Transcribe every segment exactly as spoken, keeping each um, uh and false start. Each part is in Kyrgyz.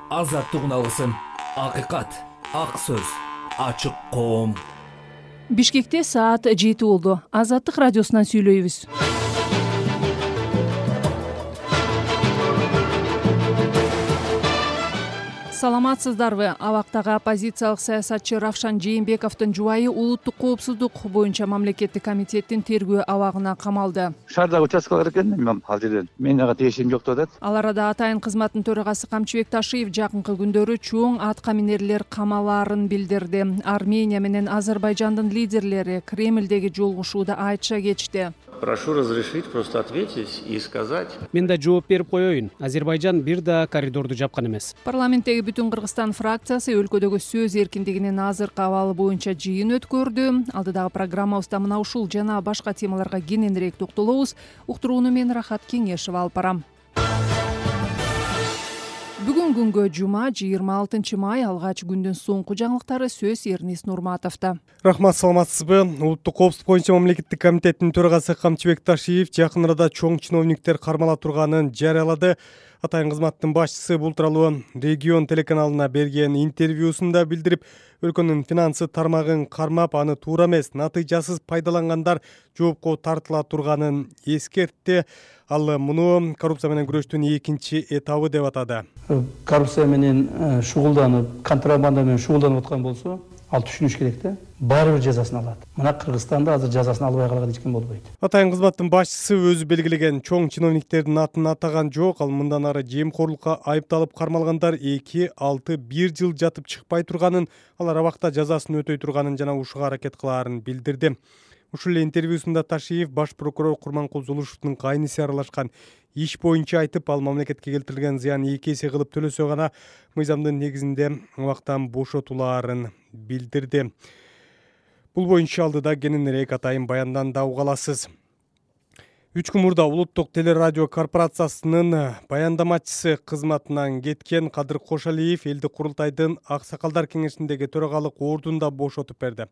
азаттык үналысын, акыйкат, ак сөз, ачык коом. Бишкекте саат жети болду. Азаттык радиосунан сүйлөйбүз. Саламатсыздарбы? Абактагы оппозициялык саясатчы Равшан Жээнбековдун жубайы улуттук коопсуздук боюнча мамлекеттик комитеттин тергөө абагына камалды. Шаардагы участкалар экен, мен ал жерден менин ага тиешим жок деп атат. Ал арада атайын кызматтын төрагасы Камчыбек Ташиев жакынкы күндөрү чоң атка минерлер камалаарын билдирди. Армения менен Азербайжандын лидерлери Кремлдеги жолугушууда айтыша кетишти. Прошу разрешить просто ответить и сказать. Мен да жооп берип коеюн. Азербайжан бир да коридорду жапкан эмес. Парламенттеги Бүтүн Кыргызстан фракциясы өлкөдөгү сөз эркиндигинин азыркы абалы боюнча жыйын өткөрдү. Алдыдагы программабызда мына ушул жана башка темаларга кененирээк токтолобуз. Уктурууну мен Рахат Кеңешова алып барам. Бүгүн күнгө жума жыйырма алтынчы май алгач күндүн соңку жаңылыктары сөз Эрнис Нурматовдо. Рахмат, саламатсызбы? Улуттук коопсуздук боюнча мамлекеттик комитеттин төрагасы Камчыбек Ташиев жакын арада чоң чиновниктер кармала турганын жарыялады. Атайын кызматтын башчысы бул тууралуу Регион телеканалына берген интервьюсунда билдирип, өлкөнүн финансы тармагын кармап, аны туура эмес, натыйжасыз пайдалангандар жоопко тартыла турганын эскертти. Ал муну коррупция менен күрөштүн экинчи этабы деп атады. Коррупция менен шугулданып, контрабанда менен шугулданып аткан болсо, ал түшүнүш керек да. Баары бир жазасын алат. Мына Кыргызстанда азыр жазасын албай калган эч ким болбойт. Атайын кызматтын башчысы өзү белгилеген чоң чиновниктердин атын атаган жок. Ал мындан ары жемкорлукка айыпталып кармалгандар эки алты бир жыл жатып чыкпай турганын, алар абакта жазасын өтөй турганын жана ушуга аракет кылаарын билдирди. Ушул эле интервьюсунда Ташиев баш прокурор Курманкул Зулушевдун кайниси аралашкан иш боюнча айтып, ал мамлекетке келтирилген зыян эки эсе кылып төлөсө гана мыйзамдын негизинде абактан бошотулаарын билдирди. Бул боюнча алдыда кененирээк атайын баяндан да уга аласыз. Үч күн мурда улуттук телерадио корпорациясынын баяндамачысы кызматынан кеткен Кадыр Кошалиев элдик курултайдын аксакалдар кеңешиндеги төрагалык ордунда бошотуп берди.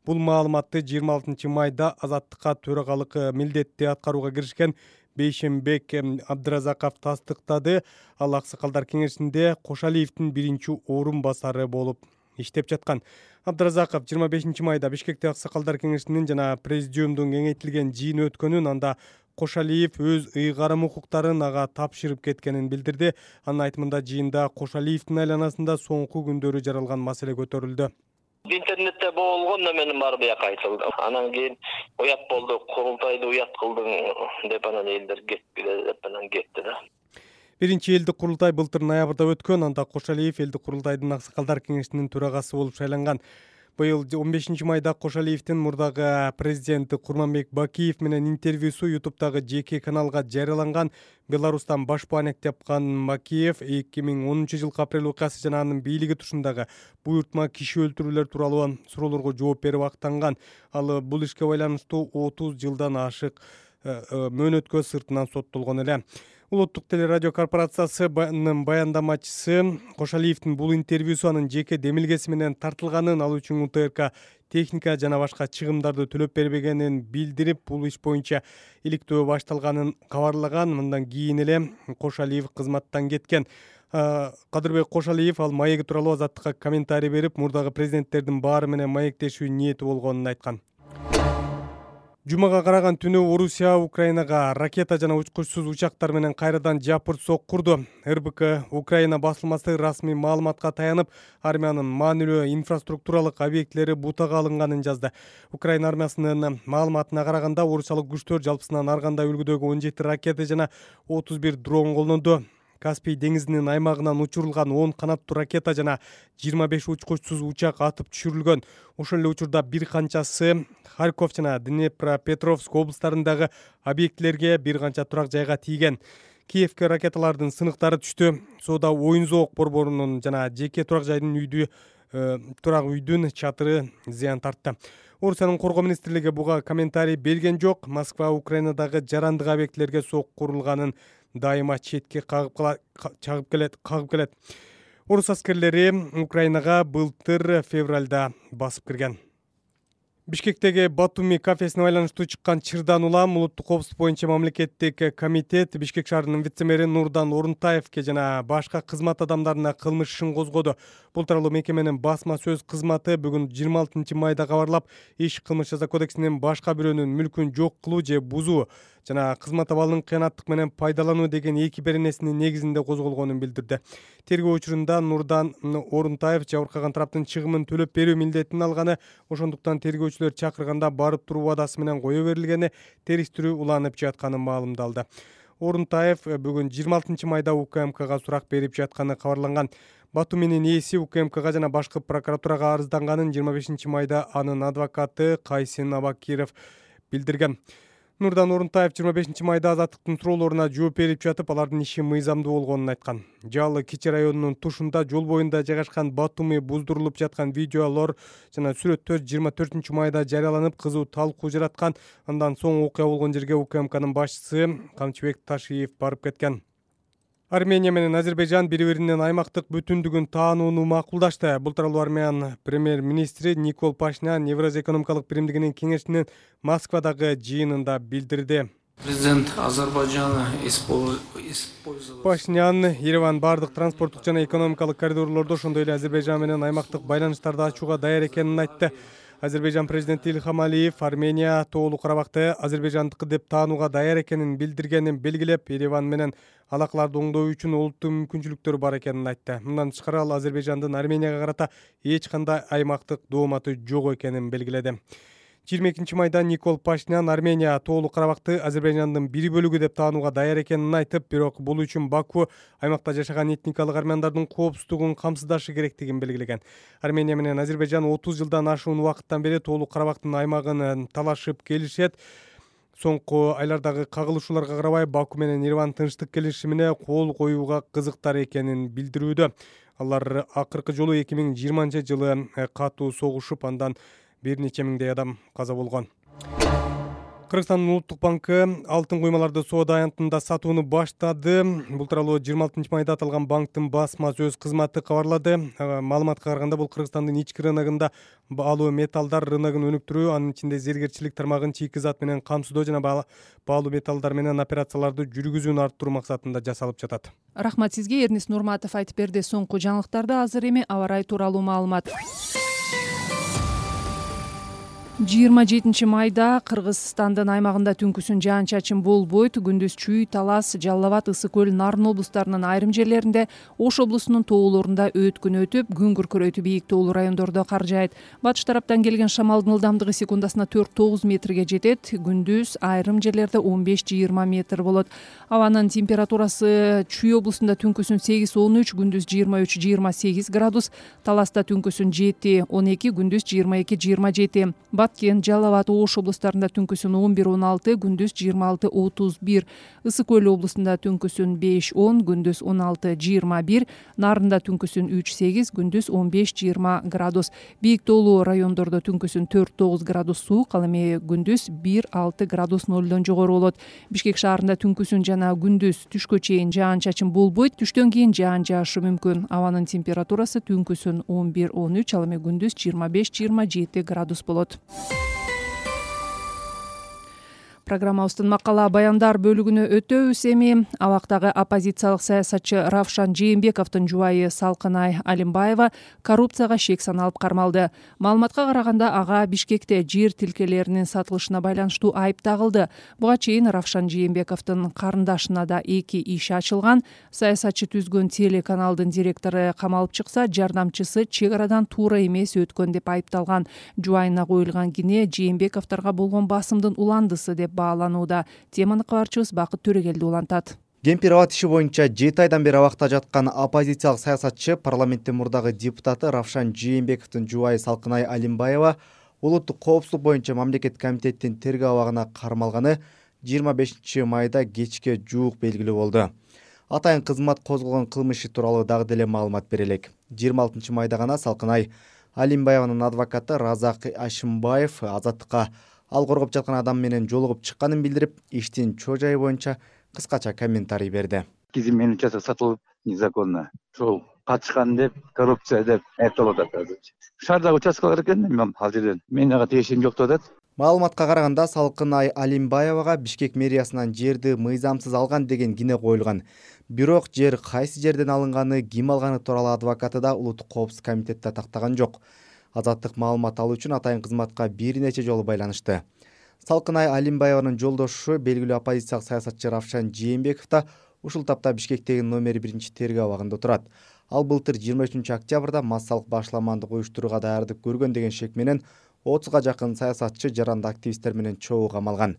Бул маалыматты жыйырма алтынчы майда Азаттыкка төрагалык милдетти аткарууга киришкен Бейшембек Абдыразаков тастыктады. Ал аксакалдар кеңешинде Кошалиевдин биринчи орун басары болуп иштеп жаткан. Абдыразаков жыйырма бешинчи майда Бишкекте аксакалдар кеңешинин жана президиумдун кеңейтилген жыйыны өткөнүн, анда Кошалиев өз ыйгарым укуктарын ага тапшырып кеткенин билдирди. Анын айтымында жыйында Кошалиевдин айланасында соңку күндөрү жаралган маселе көтөрүлдү. Интернетте болгондо менин бар бияка айтылды. Анан кийин уят болду, курултайды уят кылдың деп анан элдер кетпеди деп анан кетти да. Биринчи элдик курултай былтыр ноябрда өткөн, анда Кошалиев элдик курултайдын аксакалдар кеңешинин төрагасы болуп шайланган. Быйыл он бешинчи майда Кошалиевдин мурдагы президенти Курманбек Бакиев менен интервьюсу ютубтагы жеке каналга жарыяланган. Беларустан баш бааник тапкан Бакиев эки миң онунчу жылкы апрель окуясы жана анын бийлиги тушундагы буйртма киши өлтүрүүлөр тууралуу суроолорго жооп берип актанган. Ал бул ишке байланыштуу отуз жылдан ашык мөөнөткө сыртынан соттолгон эле. Улуттук телерадио корпорациясынын баяндамачысы Кошалиевдин бул интервьюсу анын жеке демилгеси менен тартылганын, ал үчүн УТРК техника жана башка чыгымдарды төлөп бербегенин билдирип, бул иш боюнча иликтөө башталганын кабарлаган. Мындан кийин эле Кошалиев кызматтан кеткен. Кадырбек Кошалиев ал маеги тууралуу Азаттыкка комментарий берип, мурдагы президенттердин баары менен маектешүү ниети болгонун айткан. Жумага караган түнү Орусия Украинага ракета жана учкучсуз учактар менен кайрадан жапырт соккурду. РБК Украина басылмасы расмий маалыматка таянып, армиянын маанилүү инфраструктуралык объектилери бутага алынганын жазды. Украина армиясынын маалыматына караганда, орусиялык күчтөр жалпысынан ар кандай үлгүдөгү он жети ракета жана отуз бир дрон колдонду. Каспий деңизинин аймагынан учурулган он канаттуу ракета жана жыйырма беш учкучсуз учак атып түшүрүлгөн. Ошол эле учурда бир канчасы Харьков жана Днепропетровск облустарындагы объектилерге, бир канча турак жайга тийген. Киевке ракеталардын сыныктары түштү. Соода оюн зоок борборунун жана жеке турак жайдын үйдү турак үйдүн чатыры зыян тартты. Орусиянын коргоо министрлиги буга комментарий берген жок. Москва Украинадагы жарандык объектилерге соккурулганын дайыма четке кагып чагып келет, кагып келет. Орус аскерлери Украинага былтыр февралда басып кирген. Бишкектеги Батуми кафесине байланыштуу чыккан чырдан улам улуттук коопсуздук боюнча мамлекеттик комитет Бишкек шаарынын вице-мэри Нурдан Орунтаевке жана башка кызмат адамдарына кылмыш ишин козгоду. Бул тууралуу мекеменин басма сөз кызматы бүгүн жыйырма алтынчы майда кабарлап, иш кылмыш жаза кодексинин башка бирөөнүн мүлкүн жок кылуу же бузуу жана кызмат абалын кыянаттык менен пайдалануу деген эки беренесинин негизинде козголгонун билдирди. Тергөө учурунда Нурдан Орунтаев жабыркаган тараптын чыгымын төлөп берүү милдетин алганы, ошондуктан тергөөчүлөр чакырганда барып туруу убадасы менен кое берилгени, териштирүү уланып жатканы маалымдалды. Орунтаев бүгүн жыйырма алтынчы майда УКМКга сурак берип жатканы кабарланган. Батуминин ээси УКМКга жана башкы прокуратурага арызданганын жыйырма бешинчи майда анын адвокаты Кайсин Абакиров билдирген. Нурдан Орунтаев жыйырма бешинчи майда азаттыктын суроолоруна жооп берип жатып, алардын иши мыйзамдуу болгонун айткан. Жалы Кичи районунун тушунда жол боюнда жайгашкан Батуми буздурулуп жаткан видеолор жана сүрөттөр жыйырма төртүнчү майда жарыяланып, кызуу талкуу жараткан. Андан соң окуя болгон жерге УКМКнын башчысы Камчыбек Ташиев барып кеткен. Армения менен Азербайжан бири-биринин аймактык бүтүндүгүн таанууну макулдашты. Бул тууралуу Армян премьер-министри Никол Пашинян Евразия экономикалык биримдигинин кеңешинин Москвадагы жыйынында билдирди. Президент Азербайджана использовал... Пашинян Ереван бардык транспорттук жана экономикалык коридорлордо, ошондой эле Азербайжан менен аймактык байланыштарды ачууга даяр экенин айтты. Азербайжан президенти Ильхам Алиев Армения Тоолуу Карабакты Азербайжандыкы деп таанууга даяр экенин билдиргенин белгилеп, Ереван менен алакаларды оңдоо үчүн олуттуу мүмкүнчүлүктөр бар экенин айтты. Мындан тышкары ал Азербайжандын Арменияга карата эч кандай аймактык дооматы жок экенин белгиледи. жыйырма экинчи майда Никол Пашинян Армения Тоолуу Карабакты Азербайжандын бир бөлүгү деп таанууга даяр экенин айтып, бирок бул үчүн Баку аймакта жашаган этникалык армяндардын коопсуздугун камсыздашы керектигин белгилеген. Армения менен Азербайжан отуз жылдан ашуун убакыттан бери Тоолуу Карабактын аймагын талашып келишет. Соңку айлардагы кагылышууларга карабай Баку менен Ереван тынчтык келишимине кол коюуга кызыктар экенин билдирүүдө. Алар акыркы жолу эки миң жыйырманчы жылы катуу согушуп, андан бир нече миңдей адам каза болгон. Кыргызстандын улуттук банкы алтын куймаларды соода аянтында сатууну баштады. Бул тууралуу жыйырма алтынчы майда аталган банктын басма сөз кызматы кабарлады. Маалыматка караганда, бул Кыргызстандын ички рыногунда баалуу металлдар рыногун өнүктүрүү, анын ичинде зергерчилик тармагын чийки зат менен камсыздоо жана баалуу металлдар менен операцияларды жүргүзүүнү арттыруу максатында жасалып жатат. Рахмат сизге, Эрнис Нурматов айтып берди. Соңку жаңылыктарды азыр эми аба ырайы тууралуу маалымат. жыйырма жетинчи майда Кыргызстандын аймагында түнкүсүн жаан-чачын болбойт. Күндүз Чүй, Талас, Жалал абад, Ысык көл, Нарын облустарынын айрым жерлеринде, Ош облусунун тоолорунда өткүн өтүп, күн күркүрөйтү бийик тоолуу райондордо кар жаайт. Батыш тараптан келген шамалдын ылдамдыгы секундасына төрт тогуз метрге жетет. Күндүз айрым жерлерде он беш жыйырма метр болот. Абанын температурасы Чүй облусунда түнкүсүн сегиз он үч, күндүз жыйырма үч жыйырма сегиз градус, Таласта түнкүсүн жети он эки, күндүз жыйырма эки жыйырма жети. Баткен, Жалал абад, Ош облустарында түнкүсүн он бир он алты, күндүз жыйырма алты отуз бир. Ысык көл облусунда түнкүсүн беш он, күндүз он алты жыйырма бир. Нарында түнкүсүн үч сегиз, күндүз он беш жыйырма градус. Бийик тоолуу райондордо түнкүсүн төрт тогуз градус суук, ал эми күндүз бир алты градус нолдон жогору болот. Бишкек шаарында түнкүсүн жана күндүз түшкө чейин жаан-чачын болбойт. Түштөн кийин жаан жаашы мүмкүн. Абанын температурасы түнкүсүн он бир он үч, ал эми күндүз жыйырма беш жыйырма жети градус болот. Программабыздын макала баяндар бөлүгүнө өтөбүз. Эми абактагы оппозициялык саясатчы Равшан Жээнбековдун жубайы Салкынай Алимбаева коррупцияга шек саналып кармалды. Маалыматка караганда, ага Бишкекте жер тилкелеринин сатылышына байланыштуу айып тагылды. Буга чейин Равшан Жээнбековдун карындашына да эки иш ачылган. Саясатчы түзгөн телеканалдын директору камалып чыкса, жардамчысы чек арадан туура эмес өткөн деп айыпталган. Жубайына коюлган кине Жээнбековдорго болгон басымдын уландысы деп бааланууда. Теманы кабарчыбыз Бакыт Төрөгелди улантат. Кемпир абад иши боюнча жети айдан бери абакта жаткан оппозициялык саясатчы, парламенттин мурдагы депутаты Равшан Жээнбековдун жубайы Салкынай Алимбаева улуттук коопсуздук боюнча мамлекеттик комитеттин тергөө абагына кармалганы жыйырма бешинчи майда кечке жуук белгилүү болду. Атайын кызмат козголгон кылмыш тууралуу дагы деле маалымат берелик. жыйырма алтынчы майда гана Салкынай Алимбаеванын адвокаты Разак Ашимбаев азаттыкка ал коргоп жаткан адам менен жолугуп чыкканын билдирип, иштин чоо жайы боюнча кыскача комментарий берди. Кизим менен участок сатылып незаконно. Ошол катышкан деп, коррупция деп айыпталып атат азырчы. Шаардагы участкалар экен, мен ал жерден мен ага тиешим жок деп атат. Маалыматка караганда Салкынай Алимбаевага Бишкек мэриясынан жерди мыйзамсыз алган деген кине коюлган. Бирок жер кайсы жерден алынганы, ким алганы тууралуу адвокаты да Улуттук коопсуздук комитетте тактаган жок. Азаттык маалымат алуу үчүн атайын кызматка бир нече жолу байланышты. Салкынай Алимбаеванын жолдошу белгилүү оппозициялык саясатчы Равшан Жээнбеков да ушул тапта Бишкектеги номер биринчи тергөө абагында турат. Ал былтыр жыйырма үчүнчү октябрда массалык башламандык уюштурууга даярдык көргөн деген шек менен отузга жакын саясатчы, жаранды активисттер менен чогуу камалган.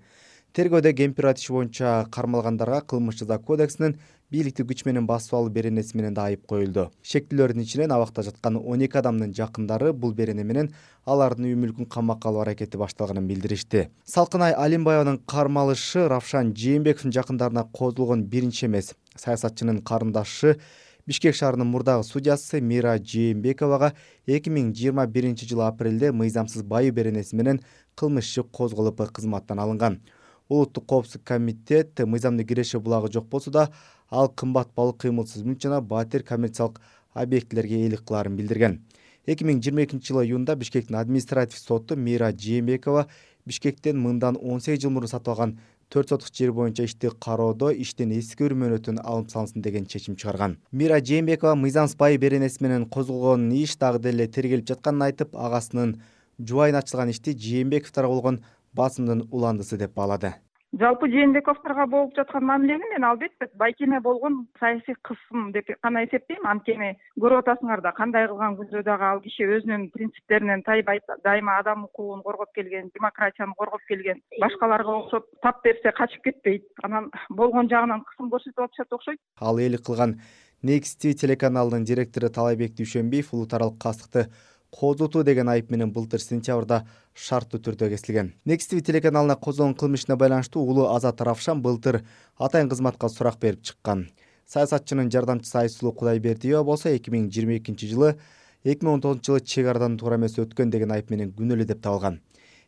Тергөөдө Кемпир иши боюнча кармалгандарга кылмыш жаза кодексинин бийликти күч менен басып алуу беренеси менен да айып коюлду. Шектүүлөрдүн ичинен абакта жаткан он эки адамдын жакындары бул берене менен алардын үй мүлкүн камакка алуу аракети башталганын билдиришти. Салкынай Алимбаеванын кармалышы Равшан Жээнбековдун жакындарына козулгон биринчи эмес. Саясатчынын карындашы Бишкек шаарынын мурдагы судьясы Мира Жээнбековага эки миң жыйырма биринчи жылы апрелде мыйзамсыз байуу беренеси менен кылмыш иши козголуп кызматтан алынган. Улуттук коопсуздук комитет мыйзамдуу киреше булагы жок болсо да, ал кымбат балык, кыймылсыз мүлк жана батир коммерциялык объектилерге ээлик кылаарын билдирген. эки миң жыйырма экинчи жылы июнда Бишкектин административ соту Мира Жээнбекова Бишкектен мындан он сегиз жыл мурун сатып алган төрт сотук жер боюнча ишти кароодо иштен эскерүү мөөнөтүн алып салынсын деген чечим чыгарган. Мира Жээнбекова мыйзамсыз байуу беренеси менен козголгон иш дагы деле тергелип жатканын айтып, агасынын жубайына ачылган ишти Жээнбековдорго болгон басымдын уландысы деп баалады. Жалпы Жээнбековдорго болуп жаткан мамилени мен албетте байкеме болгон саясий кысым деп гана эсептейм. Анткени көрүп атасыңар да, кандай кылган күндө дагы ал киши өзүнүн принциптеринен тайбай, дайыма адам укугун коргоп келген, демократияны коргоп келген, башкаларга окшоп тап берсе качып кетпейт. Анан болгон жагынан кысым көрсөтүп атышат окшойт. Ал ээлик кылган Next ти ви телеканалынын директору Талайбек Дүйшөнбиев улут аралык кастыкты козутуу деген айып менен былтыр сентябрда шарттуу түрдө кесилген. Next ти ви телеканалына козголгон кылмышына байланыштуу улуу Азат Равшан былтыр атайын кызматка сурак берип чыккан. Саясатчынын жардамчысы Айсулуу Кудайбердиева болсо эки миң жыйырма экинчи жылы эки миң он тогузунчу жылы чек арадан туура эмес өткөн деген айып менен күнөөлүү деп табылган.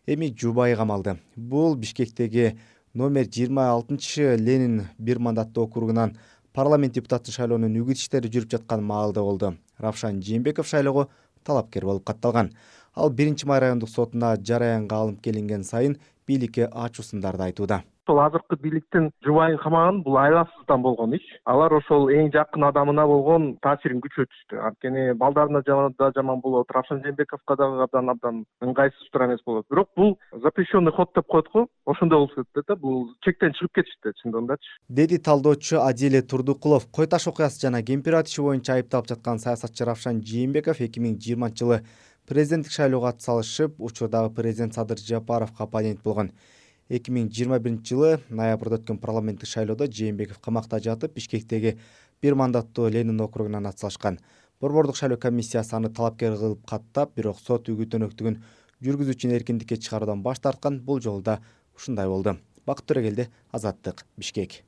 Эми жубайы камалды. Бул Бишкектеги номер жыйырма алтынчы Ленин бир мандаттуу округунан парламент депутаты шайлоонун үгүт иштери жүрүп жаткан маалда болду. Равшан Жээнбеков шайлоого талапкер болуп катталган. Ал биринчи май райондук сотуна жараянга алынып келинген сайын бийликке ачуу сындарды айтууда. Ошол азыркы бийликтин жубайын камаган бул айласыздан болгон иш. Алар ошол эң жакын адамына болгон таасирин күчөтүштү. Анткени балдарына да жаман болот, Равшан Жээнбековго дагы абдан абдан ыңгайсыз туура эмес болот. Бирок бул запрещенный ход деп коет го. Ошондой болуп кетти да, бул чектен чыгып кетишти чындыгындачы. Деди талдоочу Адиле Турдукулов. Кой таш окуясы жана Кемпир иши боюнча айыпталып жаткан саясатчы Равшан Жээнбеков эки миң жыйырманчы жылы президенттик шайлоого атсалышып, учурдагы президент Садыр Жапаровго оппонент болгон. эки миң жыйырма биринчи жылы ноябрда өткөн парламенттик шайлоодо Жээнбеков камакта жатып, Бишкектеги бир мандаттуу Ленин округунан атсалышкан. Борбордук шайлоо комиссиясы аны талапкер кылып каттап, бирок сот үгүт өнөктүгүн жүргүзүүчүнү эркиндикке чыгаруудан баш тарткан. Бул жолу да ушундай болду. Бакыт Төрөгелди, Азаттык, Бишкек.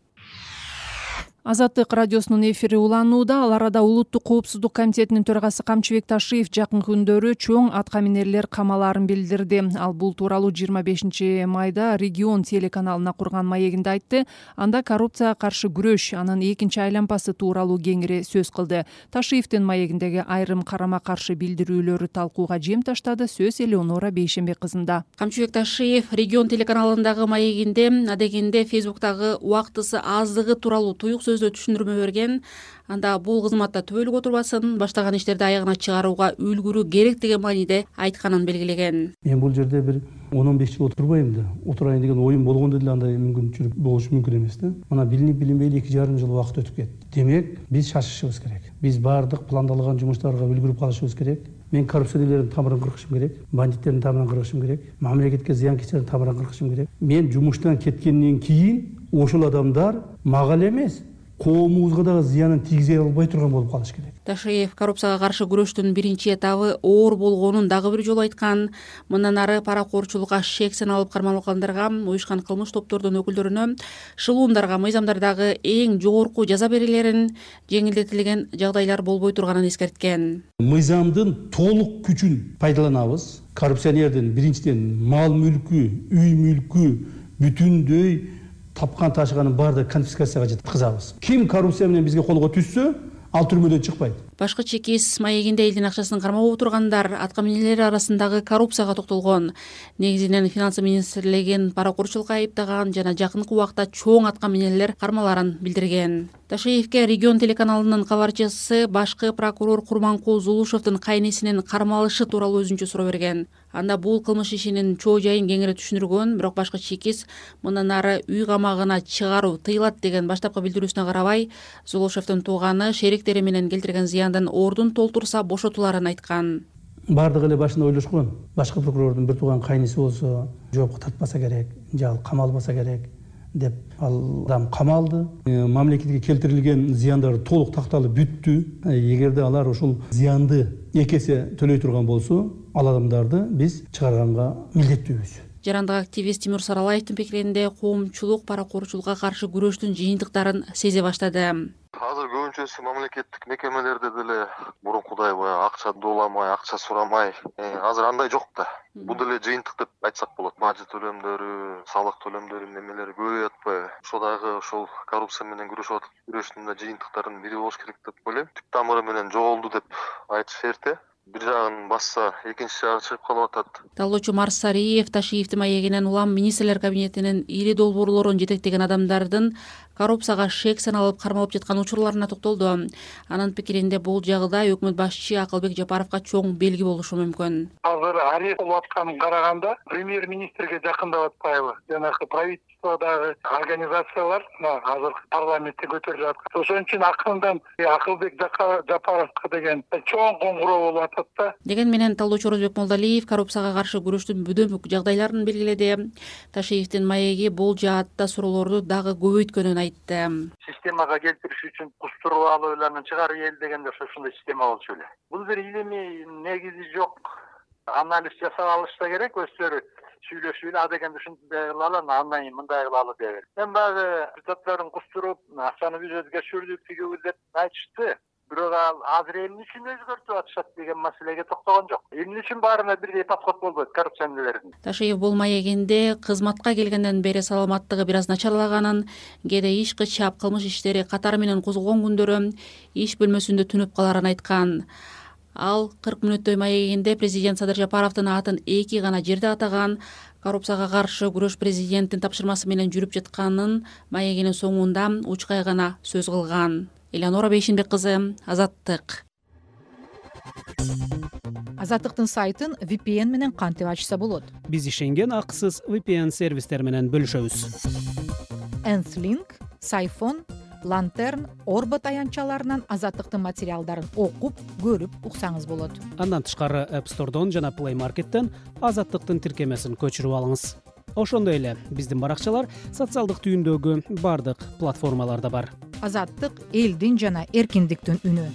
Азаттык радиосунун эфири уланууда. Ал арада Улуттук коопсуздук комитетинин төрагасы Камчыбек Ташиев жакынкы күндөрү чоң атка минерлер камалаарын билдирди. Ал бул тууралуу жыйырма бешинчи майда Регион телеканалына курган маегинде айтты. Анда коррупцияга каршы күрөш, анын экинчи айлампасы тууралуу кеңири сөз кылды. Ташиевдин маегиндеги айрым карама каршы билдирүүлөрү талкууга жем таштады. Сөз Элеонора Бейшенбек кызында. Камчыбек Ташиев Регион телеканалындагы маегинде адегенде Фейсбуктагы убактысы аздыгы тууралуу туюк сөздө түшүндүрмө берген. Анда бул кызматта түбөлүк отурбасын, баштаган иштерди аягына чыгарууга үлгүрүү керек деген мааниде айтканын белгилеген. Мен бул жерде бир он он беш жыл отурбайм да. Отурайын деген оюм болгондо деле андай мүмкүнчүлүк болушу мүмкүн эмес да. Мына билинип билинбейли эки жарым жыл убакыт өтүп кетти. Демек, биз шашышыбыз керек. Биз баардык пландалган жумуштарга үлгүрүп калышыбыз керек. Мен коррупционерлердин тамырын кыркышым керек, бандиттердин тамырын кыркышым керек, мамлекетке зыянкечтердин тамырын кыркышым керек. Мен жумуштан кеткенден кийин ошол адамдар мага эле эмес, коомубузга дагы зыянын тийгизе албай турган болуп калыш керек. Ташиев коррупцияга каршы күрөштүн биринчи этабы оор болгонун дагы бир жолу айткан. Мындан ары паракорчулукка шексен алып кармалгандарга, уюшкан кылмыш топтордун өкүлдөрүнө, шылуундарга, мыйзамдардагы эң жогорку жаза берилерин, жеңилдетилген жагдайлар болбой турганын эскерткен. Мыйзамдын толук күчүн пайдаланабыз. Коррупционердин биринчиден мал мүлкү, үй мүлкү бүтүндөй тапкан ташыганын баардыгы конфискацияга жеткизабыз. Ким коррупция менен бизге колго түшсө, ал түрмөдөн чыкпайт. Башкы чекис маегинде элдин акчасын кармап отургандар аткаминерлер арасындагы коррупцияга токтолгон. Негизинен финансы министрлигин паракурчулукка айыптаган жана жакынкы убакта чоң аткаминерлер кармаларын билдирген. Ташеевке регион телеканалынын кабарчысы башкы прокурор Курманкул Зулушевдин кайнесинин кармалышы тууралуу өзүнчө суроо берген. Анда бул кылмыш ишинин чоо жайын кеңири түшүндүргөн, бирок башкы чекис мындан ары үй камагына чыгаруу тыйылат деген баштапкы билдирүүсүнө карабай, Зулушевдин тууганы шериктери менен келтирген зыяндын ордун толтурса бошотуларын айткан. Бардыгы эле башында ойлошкон. Башкы прокурордун бир тууган кайнеси болсо жоопко тартпаса керек, же ал камалбаса керек деп ал адам камалды. Мамлекетке келтирилген зыяндар толук такталып бүттү. Эгерде алар ушул зыянды эки эсе төлөй турган болсо, ал адамдарды биз чыгарганга милдеттүүбүз. Жарандык активист Тимур Саралаевдин пикиринде коомчулук паракурчулукка каршы күрөштүн жыйынтыктарын сезе баштады. Азыр көбүнчөсү мамлекеттик мекемелерде деле мурункудай баягы акча дооламай, акча сурамай, азыр андай жок да. Бул деле жыйынтык деп айтсак болот. Бажы төлөмдөрү, салык төлөмдөрү немелери көбөйүп атпайбы? Ошо дагы ошол коррупция менен күрөшүп аткан күрөштүн да жыйынтыктарынын бири болуш керек деп ойлойм. Түп тамыры менен жоголду деп айтыш эрте. Бир жагын басса, экинчи жагы чыгып калып атат. Талоочу Марс Сариев Ташиевдин маегинен улам министрлер кабинетинин ири долбоорлорун жетектеген адамдардын коррупцияга шек саналып кармалып жаткан учурларына токтолду. Анын пикиринде бул жагда өкмөт башчы Акылбек Жапаровго чоң белги болушу мүмкүн. Азыр арест болуп атканын караганда премьер-министрге жакындап атпайбы? Жанагы правительстводагы организациялар азыр парламентте көтөрүлүп аткан. Ошон үчүн акырындан Акылбек Жапаровго деген чоң коңгуроо болуп атат да. Деген менен талоочу Орозбек Молдалиев коррупцияга каршы күрөштүн бүдөмүк жагдайларын белгиледи. Ташиевдин маеги бул жаатта суроолорду дагы көбөйткөнүн айтты. Системага келтириш үчүн кустуруп алууларны чыгарып эл дегенде ошондой система болчу эле. Бул бир илимий негизи жок анализ жасап алышса керек, өздөрү сүйлөшүп эле а дегенде ушундай кылалы, андан кийин мындай кылалы деп. Мен баягы депутаттарын кустуруп, акчаны биз өзгөртүrdүк, тигиби деп айтышты. Бирок ал азыр эмне үчүн өзгөртүп атышат деген маселеге токтогон жок. Эмне үчүн баарына бирдей подход болбойт коррупционерлердин? Ташиев бул маегинде кызматка келгенден бери саламаттыгы бир аз начарлаганын, кээде иш кычап, кылмыш иштери катары менен козголгон күндөрү иш бөлмөсүндө түнөп каларын айткан. Ал кырк мүнөттөй маегинде президент Садыр Жапаровдун атын эки гана жерде атаган, коррупцияга каршы күрөш президенттин тапшырмасы менен жүрүп жатканын маегинин соңунда учкай гана сөз кылган. Элеонора Бейшинбек кызы, Азаттык. Азаттыктын сайтын ви пи эн менен кантип ачса болот? Биз ишенген акысыз ви пи эн сервистер менен бөлүшөбүз. Энслинк, Сайфон, Лантерн, Орбот аянтчаларынан Азаттыктын материалдарын окуп, көрүп уксаңыз болот. Андан тышкары App Store'дон жана Play Market'тен Азаттыктын тиркемесин көчүрүп алыңыз. Ошондой эле биздин баракчалар социалдык түйүндөгү бардык платформаларда бар. Азаттык элдин жана эркиндиктин үнү.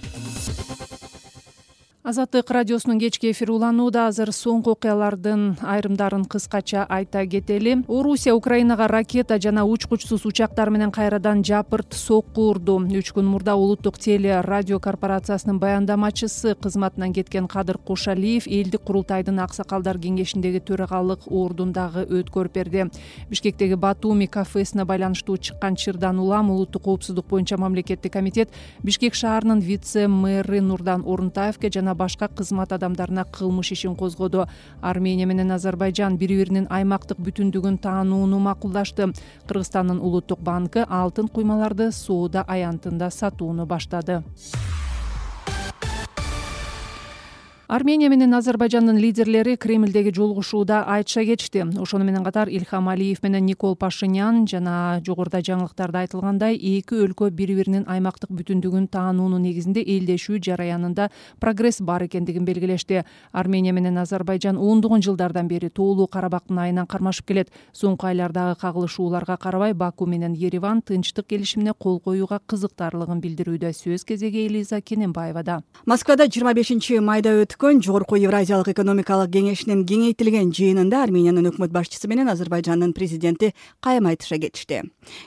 Азаттык радиосунун кечки эфири уланууда. Азыр соңку окуялардын айрымдарын кыскача айта кетели. Орусия Украинага ракета жана учкучсуз учактар менен кайрадан жапырт сокку урду. Үч күн мурда улуттук теле радио корпорациясынын баяндамачысы кызматынан кеткен Кадыр Кошалиев элдик курултайдын аксакалдар кеңешиндеги төрагалык ордундагы өткөрүп берди. Бишкектеги Батуми кафесине байланыштуу чыккан чырдан улам улуттук коопсуздук боюнча мамлекеттик комитет Бишкек шаарынын вице-мэри Нурдан Орунтаевке жана башка кызмат адамдарына кылмыш ишин козгоду. Армения менен Азербайжан бири-биринин аймактык бүтүндүгүн таанууну макулдашты. Кыргызстандын улуттук банкы алтын куймаларды соода аянтында сатууну баштады. Армения менен Азербайжандын лидерлери Кремлдеги жолугушууда айтыша кетишти. Ошону менен катар Илхам Алиев менен Никол Пашинян жана жогоруда жаңылыктарда айтылгандай эки өлкө бири-биринин аймактык бүтүндүгүн таануунун негизинде элдешүү жараянында прогресс бар экендигин белгилешти. Армения менен Азербайжан ондогон жылдардан бери тоолуу Карабактын айынан кармашып келет. Соңку айлардагы кагылышууларга карабай Баку менен Ереван тынчтык келишимине кол коюуга кызыктарлыгын билдирүүдө. Сөз кезеги Элиза Кененбаевада. Москвада жыйырма бешинчи майда өткөн Жогорку Евразиялык экономикалык кеңешинин кеңейтилген жыйынында Армениянын өкмөт башчысы менен Азербайжандын президенти кайым айтыша кетишти.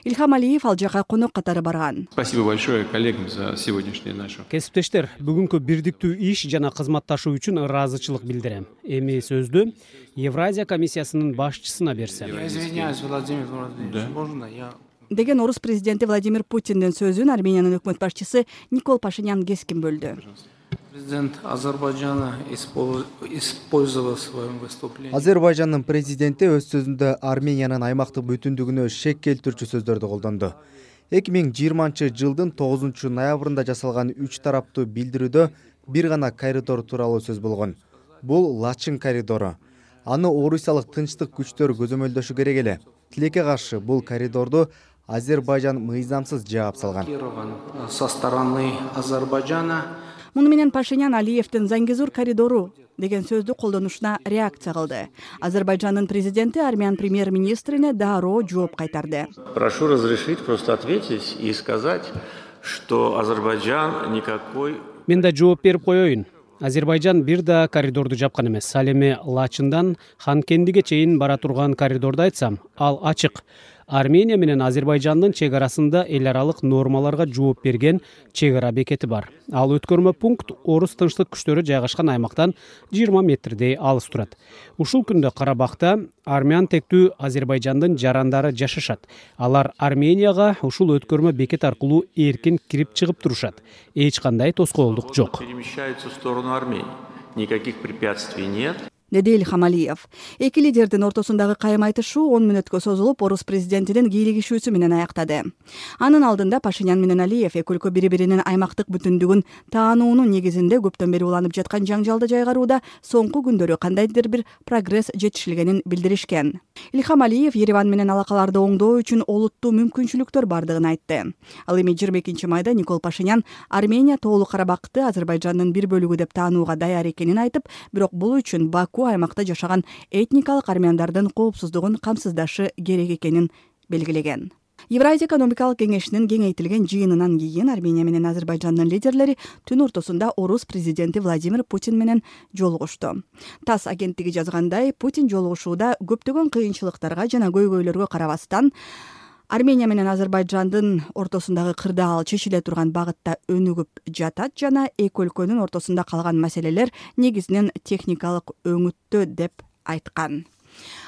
Илхам Алиев ал жака конок катары барган. Спасибо большое коллегам за сегодняшнее наше. Кесиптештер, бүгүнкү бирдиктүү иш жана кызматташуу үчүн ыраазычылык билдирем. Эми сөздү Евразия комиссиясынын башчысына берсем. Я извиняюсь, Владимир Владимирович, можно я... Деген орус президенти Владимир Путиндин сөзүн Армениянын өкмөт башчысы Никол Пашинян кескин бөлдү. Президент Азербайджана использовал в своем выступлении. Азербайжандын президенти өз сөзүндө Армениянын аймактык бүтүндүгүнө шек келтирүүчү сөздөрдү колдонду. эки миң жыйырманчы жылдын тогузунчу ноябрында жасалган үч тараптуу билдирүүдө бир гана коридор тууралуу сөз болгон. Бул Лачын коридору. Аны орусиялык тынчтык күчтөр көзөмөлдөшү керек эле. Тилекке каршы бул коридорду Азербайжан мыйзамсыз жаап салган. Со стороны Азербайджана. Муну менен Пашинян Алиевдин Зангезур коридору деген сөздү колдонушуна реакция кылды. Азербайжандын президенти армян премьер-министрине дароо жооп кайтарды. Прошу разрешить просто ответить и сказать, что Азербайджан никакой... Мен да жооп берип коеюн. Азербайжан бир да коридорду жапкан эмес. Ал эми Лачындан Ханкендиге чейин бара турган коридорду айтсам, ал ачык. Армения менен Азербайжандын чек арасында эл аралык нормаларга жооп берген чек ара бекети бар. Ал өткөрмө пункт орус тынчтык күчтөрү жайгашкан аймактан жыйырма метрдей алыс турат. Ушул күндө Карабакта армян тектүү Азербайжандын жарандары жашашат. Алар Арменияга ушул өткөрмө бекет аркылуу эркин кирип чыгып турушат. Эч кандай тоскоолдук жок. Перемещаются в сторону Армении. Никаких препятствий нет. деди Ильхам Алиев. Эки лидердин ортосундагы кайым айтышуу он мүнөткө созулуп, орус президентинин кийлигишүүсү менен аяктады. Анын алдында Пашинян менен Алиев эки өлкө бири-биринин аймактык бүтүндүгүн таануунун негизинде көптөн бери уланып жаткан жаңжалды жайгарууда соңку күндөрү кандайдыр бир прогресс жетишилгенин билдиришкен. Ильхам Алиев Ереван менен алакаларды оңдоо үчүн олуттуу мүмкүнчүлүктөр бардыгын айтты. Ал эми жыйырма экинчи майда Никол Пашинян Армения Тоолуу Карабакты Азербайжандын бир бөлүгү деп таанууга даяр экенин айтып, бирок бул үчүн Баку аймакта жашаган этникалык армяндардын коопсуздугун камсыздашы керек экенин белгилеген. Евразия экономикалык кеңешинин кеңейтилген жыйынынан кийин Армения менен Азербайжандын лидерлери түн ортосунда орус президенти Владимир Путин менен жолугушту. ТАСС агенттиги жазгандай, Путин жолугушууда көптөгөн кыйынчылыктарга жана көйгөйлөргө карабастан Армения менен Азербайжандын ортосундагы кырдаал чечиле турган багытта өнүгүп жатат жана эки өлкөнүн ортосунда калган маселелер негизинен техникалык өңүттө деп айткан.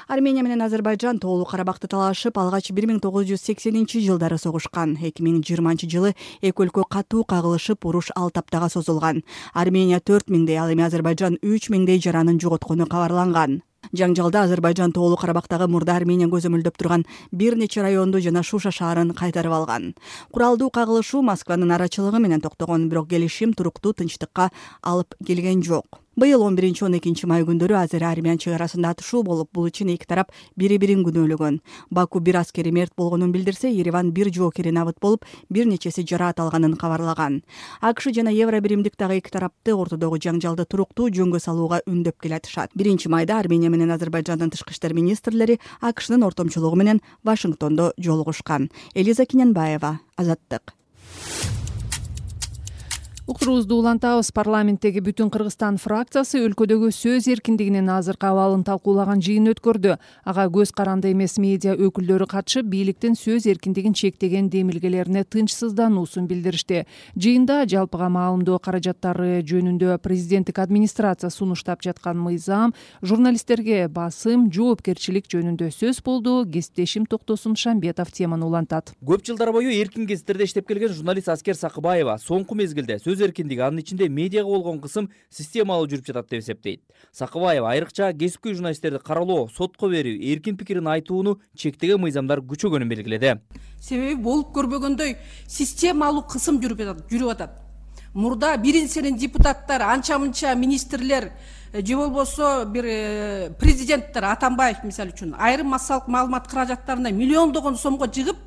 Армения менен Азербайжан Тоолуу Карабакты талашып, алгач бир миң тогуз жүз сексенинчи жылдары согушкан. эки миң жыйырманчы жылы эки өлкө катуу кагылышып, уруш алты аптага созулган. Армения төрт миңдей, ал эми Азербайжан үч миңдей жаранын жоготкону кабарланган. Жаңжалда Азербайжан Тоолуу Карабактагы мурда Армения көзөмөлдөп турган бир нече районду жана Шуша шаарын кайтарып алган. Куралдуу кагылышуу Москванын арачылыгы менен токтогон, бирок келишим туруктуу тынчтыкка алып келген жок. Быйыл он биринчи он экинчи май күндөрү Азер-Армян чек арасында атышуу болуп, бул үчүн эки тарап бири-бирин күнөөлөгөн. Баку бир аскери мерт болгонун билдирсе, Ереван бир жоокери набыт болуп, бир нечеси жараат алганын кабарлаган. АКШ жана Евро биримдик дагы эки тарапты ортодогу жаңжалды туруктуу жөнгө салууга үндөп келатышат. биринчи майда Армения менен Азербайжандын тышкы иштер министрлери АКШнын ортомчулугу менен Вашингтондо жолугушкан. Элиза Киненбаева, Азаттык. Уктуруубузду улантабыз. Парламенттеги Бүтүн Кыргызстан фракциясы өлкөдөгү сөз эркиндигинин азыркы абалын талкуулаган жыйын өткөрдү. Ага көз каранды эмес медиа өкүлдөрү катышып, бийликтин сөз эркиндигин чектеген демилгелерине тынчсыздануусун билдиришти. Жыйында жалпыга маалымдоо каражаттары жөнүндө президенттик администрация сунуштап жаткан мыйзам, журналисттерге басым, жоопкерчилик жөнүндө сөз болду. Кесиптешим Токтосун Шамбетов теманы улантат. Көп жылдар бою эркин кесиптерде иштеп келген журналист Аскер Сакыбаева соңку мезгилде сөз эркиндиги, анын ичинде медиага болгон кысым системалуу жүрүп жатат деп эсептейт. Сакыбаева айрыкча кесипкөй журналисттерди каралоо, сотко берүү, эркин пикирин айтууну чектеген мыйзамдар күчөгөнүн белгиледи. Себеби болуп көрбөгөндөй системалуу кысым жүрүп жатат, жүрүп атат. Мурда биринчиден депутаттар, анча-мынча министрлер же болбосо бир президенттер Атамбаев мисалы үчүн айрым массалык маалымат каражаттарына миллиондогон сомго жыгып,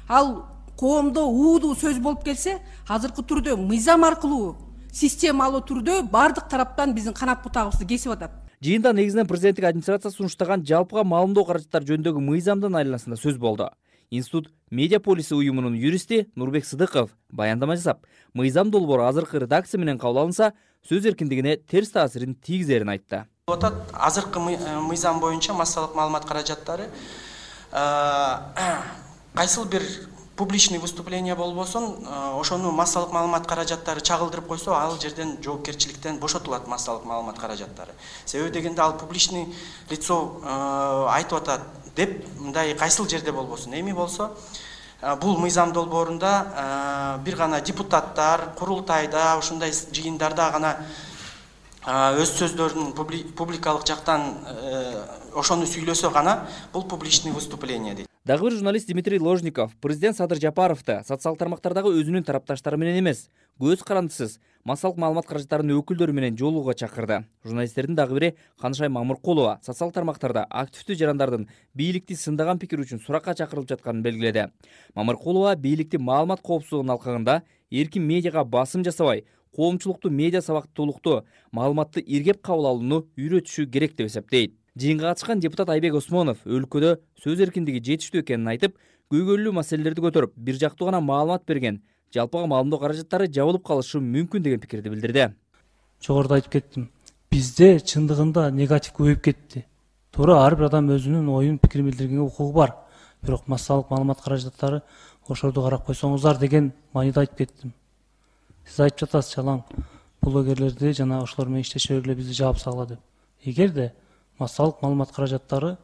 ал коомдо уудуу сөз болуп келсе, азыркы түрдө мыйзам аркылуу системалуу түрдө бардык тараптан биздин канат бутагыбызды кесип атат. Жыйында негизинен президенттик администрация сунуштаган жалпыга маалымдоо каражаттары жөнүндөгү мыйзамдын айланасында сөз болду. Институт Медиаполиси уюмунун юристи Нурбек Сыдыков баяндама жасап, мыйзам долбоору азыркы редакция менен кабыл алынса, сөз эркиндигине терс таасирин тийгизерин айтты. Азыркы мыйзам боюнча массалык маалымат каражаттары кайсыл бир публичный выступление болбосун, ошону массалык маалымат каражаттары чагылдырып койсо, ал жерден жоопкерчиликтен бошотулат массалык маалымат каражаттары. Себеби дегенде ал публичный лицо айтып атат деп, мындай кайсыл жерде болбосун. Эми болсо, бул мыйзам долбоорунда бир гана депутаттар курултайда ушундай жыйындарда гана өз сөздөрүн публикалык жактан ошону сүйлөсө гана бул публичный выступление дейт. Дагы бир журналист Дмитрий Ложников президент Садыр Жапаровду социалдык тармактардагы өзүнүн тарапташтары менен эмес, көз карандысыз массалык маалымат каражаттарынын өкүлдөрү менен жолугууга чакырды. Журналисттердин дагы бири Канышай Мамыркулова социалдык тармактарда активдүү жарандардын бийликти сындаган пикир үчүн суракка чакырылып жатканын белгиледи. Мамыркулова бийликти маалымат коопсуздугунун алкагында эркин медиага басым жасабай, коомчулукту медиа сабактуулукту, маалыматты иргеп кабыл алууну үйрөтүшү керек деп эсептейт. Жыйынга катышкан депутат Айбек Осмонов өлкөдө сөз эркиндиги жетиштүү экенин айтып, көйгөйлүү маселелерди көтөрүп, бир жактуу гана маалымат берген жалпыга маалымдоо каражаттары жабылып калышы мүмкүн деген пикирди билдирди. Жогоруда айтып кеттим. Бизде чындыгында негатив көбөйүп кетти. Туура ар бир адам өзүнүн оюн пикирин билдиргенге укугу бар. Бирок массалык маалымат каражаттары ошорду карап койсоңуздар деген мааниде айтып кеттим. Сиз айтып жатасыз жалаң блогерлерди жана ошолор менен иштеше бергиле бизди жаап сагыла деп. Эгерде массалык маалымат каражаттары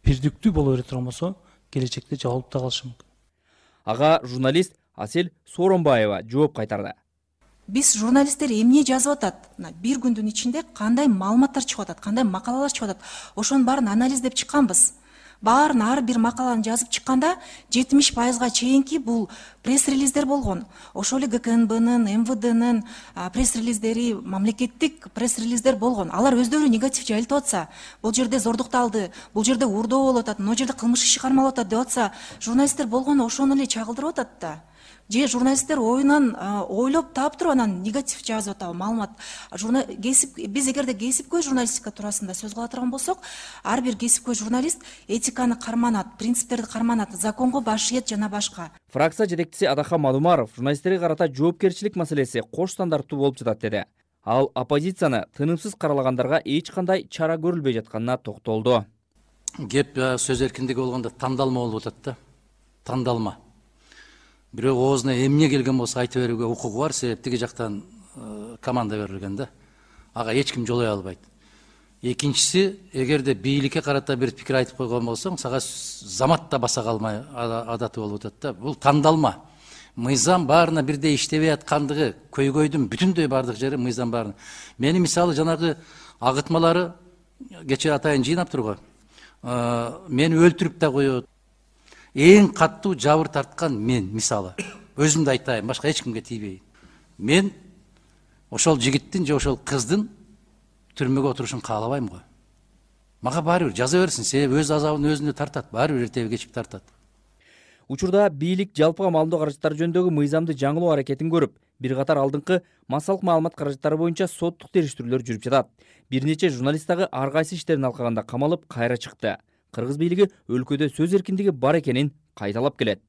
бирдиктүү боло бере турган болсо, келечекте жабылып да калышы мүмкүн. Ага журналист Асель Сооронбаева жооп кайтарды. Биз журналисттер эмне жазып атат? Бир күндүн ичинде кандай маалыматтар чыгып атат, кандай макалалар чыгып атат? Ошонун баарын анализдеп чыкканбыз. Баарын ар бир макаланы жазып чыкканда жетимиш пайызга чейинки бул пресс-релиздер болгон. Ошол эле ГКНБнын, МВДнын пресс-релиздери, мамлекеттик пресс-релиздер болгон. Алар өздөрү негатив жайылтып атса, бул жерде зордукталды, бул жерде урдоо болуп атат, мына жерде кылмыш иши кармалып атат деп атса, журналисттер болгону ошону эле чагылдырып атат да. Же журналисттер оюнан ойлоп таап туруп анан негатив жазып атабы маалымат. Биз эгерде кесипкөй журналистика туурасында сөз кыла турган болсок, ар бир кесипкөй журналист этиканы карманат, принциптерди карманат, законго баш ийет жана башка. Фракция жетекчиси Адахан Мадумаров журналисттерге карата жоопкерчилик маселеси кош стандарттуу болуп жатат деди. Ал оппозицияны тынымсыз каралагандарга эч кандай чара көрүлбөй жатканына токтолду. Кеп сөз эркиндиги болгондо тандалма болуп атат да. Тандалма. Бирок оозуна эмне келген болсо айта берүүгө укугу бар, себеп тиги жактан команда берилген да. Ага эч ким жолой албайт. Экинчиси, эгерде бийликке карата бир пикир айтып койгон болсоң, сага замат да баса калмай адаты болуп атат да. Бул тандалма. Мыйзам баарына бирдей иштебей аткандыгы, көйгөйдүн бүтүндөй бардык жери мыйзам баарына. Мени мисалы жанагы агытмалары кечээ атайын жыйнап турган. Мени өлтүрүп да коет. Эң каттуу жабыр тарткан мен, мисалы. Өзүмдү айтайын, башка эч кимге тийбейин. Мен ошол жигиттин же ошол кыздын түрмөгө отурушун каалабайм го. Мага баары бир жаза берсин, себеби өз азабын өзүнө тартат, баары бир эртеби кечип тартат. Учурда бийлик жалпыга маалымдоо каражаттары жөнүндөгү мыйзамды жаңылоо аракетин көрүп, бир катар алдыңкы массалык маалымат каражаттары боюнча соттук териштирүүлөр жүрүп жатат. Бир нече журналист дагы ар кайсы иштерин алкаганда камалып кайра чыкты. Кыргыз бийлиги өлкөдө сөз эркиндиги бар экенин кайталап келет.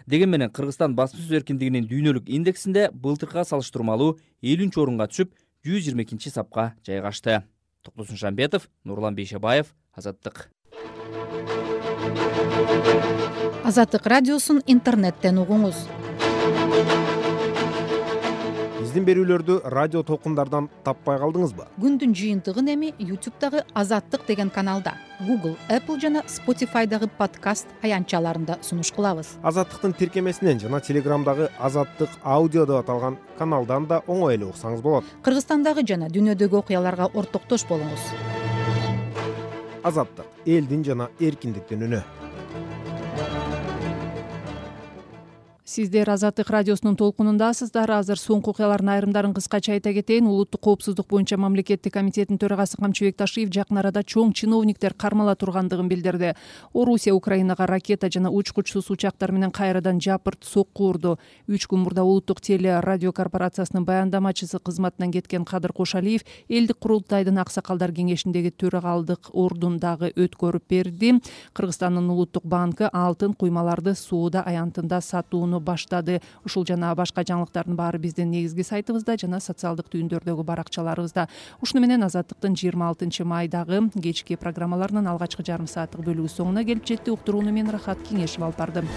Деген менен Кыргызстан басма сөз эркиндигинин дүйнөлүк индексинде былтыркыга салыштырмалуу элүүнчү орунга түшүп, жүз жыйырма экинчи сапка жайгашты. Токтосун Шамбетов, Нурлан Бейшебаев, Азаттык. Азаттык радиосун интернеттен угуңуз. Биздин берүүлөрдү радио толкундардан таппай калдыңызбы? Күндүн жыйынтыгын эми ютубтагы Азаттык деген каналда, Google, Apple жана Spotify'дагы подкаст аянтчаларында сунуш кылабыз. Азаттыктын тиркемесинен жана Телеграмдагы Азаттык аудио деп аталган каналдан да оңой эле уксаңыз болот. Кыргызстандагы жана дүйнөдөгү окуяларга ортоктош болуңуз. Азаттык — элдин жана эркиндиктин үнү. Сиздер Азаттык радиосунун толкунундасыздар. Азыр соңку окуялардын айрымдарын кыскача айта кетейин. Улуттук коопсуздук боюнча мамлекеттик комитеттин төрагасы Камчыбек Ташиев жакын арада чоң чиновниктер кармала тургандыгын билдирди. Орусия Украинага ракета жана учкучсуз учактар менен кайрадан жапырт сокку урду. Үч күн мурда улуттук теле радио корпорациясынын баяндамачысы кызматынан кеткен Кадыр Кошалиев элдик курултайдын аксакалдар кеңешиндеги төрагалдык ордундагы өткөрүп берди. Кыргызстандын улуттук банкы алтын куймаларды сууда аянтында сатууну баштады. Ушул жана башка жаңылыктардын баары биздин негизги сайтыбызда жана социалдык түйүндөрдөгү баракчаларыбызда. Ушуну менен Азаттыктын жыйырма алтынчы майдагы кечки программаларынын алгачкы жарым сааттык бөлүгү соңуна келип жетти. Уктурууну мен Рахат Кеңешев алып бардым.